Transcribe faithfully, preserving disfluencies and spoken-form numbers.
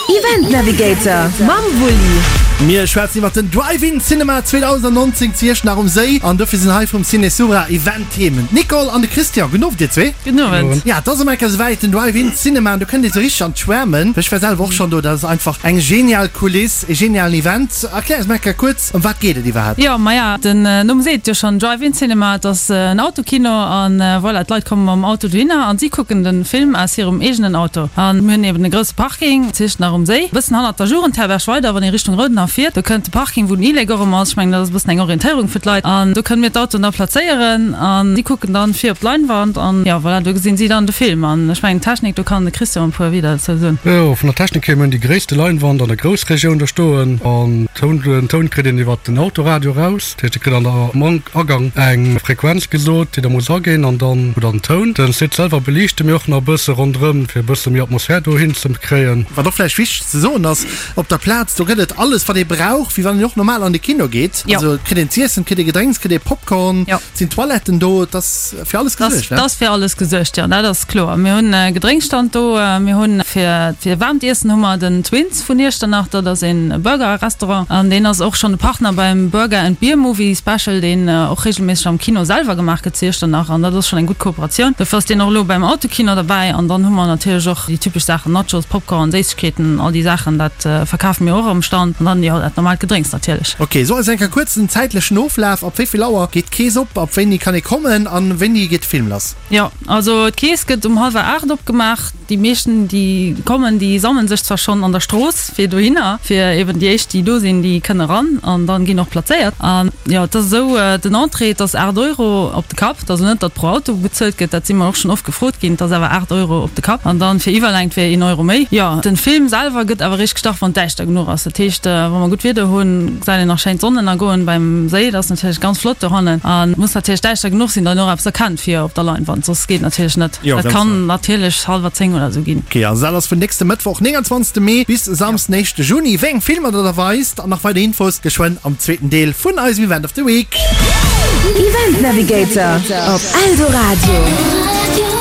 Event Navigator mam Wulli. Mir schwätzen iwwer den Drive-In Cinema zweedausendnonzéng zu Iechternach um Séi an dofir sinn hei vum Ciné Sura Event Team d'Nicole an de Christian. Gudden Owend dir zwee. Gudden Owend. Ja, et ass ëm eng Kéier esouwäit, den Drive-In Cinema, an do kënnt ee sou richteg an d'Schwärmen. Ech war selwer och schonn do, dat ass einfach eng genial Kuliss, e genialen Event. Erklär eis mol eng Kéier kuerz, ëm wat geet et iwwerhaapt? Jo, maja, den Numm seet et jo schonn, Drive-In Cinema, et ass en Autokino an voilà, d'Leit komme mam Auto dohinner an si kucken de Film aus hirem eegenen Auto. An mir hunn eben e grousse Parking zu Iechternach um Séi, e bëssen hannert der Jugendherberg weider, wann ee Richtung Roudenhaff fiert. Do kënnt de Parking, wou den E-Lake och ëmmer ass. Ech mengen, dat ass e bëssen eng Orientéierung fir d'Leit. An do kënne mir d'Autoen da plazéieren an si kucken dann vir op d'Leinwand an, jo, voilà, do gesinn si dann de Film. An ech mengen, d'Technik, do kann de Christian e puer Wieder dozou soen. Jo, vun der Technik hier, mir hunn déi gréisste Leinwand an der Groussregioun do stoen. An Toun, den Toun kritt een iwwert den Autoradio eraus. Dat heescht, Dir kritt an der, am Agang eng Frequenz gesot, déi da muss aginn an dann hutt der den Toun. Den Site selwer beliichte mir och nach e bësse ronderëm, fir e bësse méi Atmosphär dohin ze kréien. Wat och vläicht wichteg ze soen ass, op der Plaz, do gëtt et alles, wat ee brauch, wéi wann een och normal an de Kino geet. Jo. Also et kritt een z'iessen, et kritt ee Gedrénks, et kritt ee Popcorn, Jo. et sinn Toiletten do, et ass fir alles gesuergt, ne? Et ass fir alles gesuergt, jo, dat ass kloer. Mir hunn e Gedrénksstand do, mir hunn fir fir waarmt Iessen hu mer den Twins vun Iechternach, dat ass ee Burger-Restaurant an deen ass och schonn e Partner beim Burger and Beer Movie Special, deen och reegelméisseg am Kino selwer gemaach gëtt zu Iechternach an dat ass schonn eng gutt Kooperatioun. Dofir ass deen och elo beim Autokino derbäi an dann hu mer natierlech och déi typesch Saachen, Nachos, Popcorn, Séissegkeeten, all déi Saachen, dat verkafe mir och am Stand an dann, jo, dat normaalt Gedrénks natierlech. Ok, so eis eng Kéier kuerz den zäitlechen Oflaf, Ab wéi vill Auer geet d'Kees op, ab wéini kann ee kommen an wéini geet de Film lass? Jo, also d'Kees gëtt um hallwer aacht opgemaach. Déi meeschten, déi kommen, déi sammele sech zwar schonn an der Strooss fir dohinner, fir eben déi éischt, déi do sinn, déi kënne ran an dann ginn och plazéiert. An jo, et ass esou, den Entrée, et ass aacht Euro op de Kapp. Et ass elo net, datt pro Auto bezuelt gëtt, dat si mer och schonn oft gefrot ginn. Et ass awer aacht Euro op de Kapp an dann fir Iwwerlängt wär een Euro méi. Jo, den Film selwer gëtt awer eréischt gestart, wann et däischter genuch ass. Dat heescht, wa mer gutt Wieder hunn, gesäit een nach schéin d'Sonnennergoen beim Séi. Dat ass natierlech ganz flott dohannen. An et muss natierlech däischter genuch sinn, datt een och eppes erkennt vir op der Leinwand, soss geet natierlech net. Jo, Dat ganz kann genau. natierlech hallwer zéng oder esou ginn. Ok, also dat ass vun nächste Mëttwoch, nénganzwanzegste Mee, bis Samsden, éischte Juni. Wéi eng Filmer der da weist an nach weider Infos geschwënn am zweeten Deel vun eisem Event of the Week. Event Navigator op Eldoradio.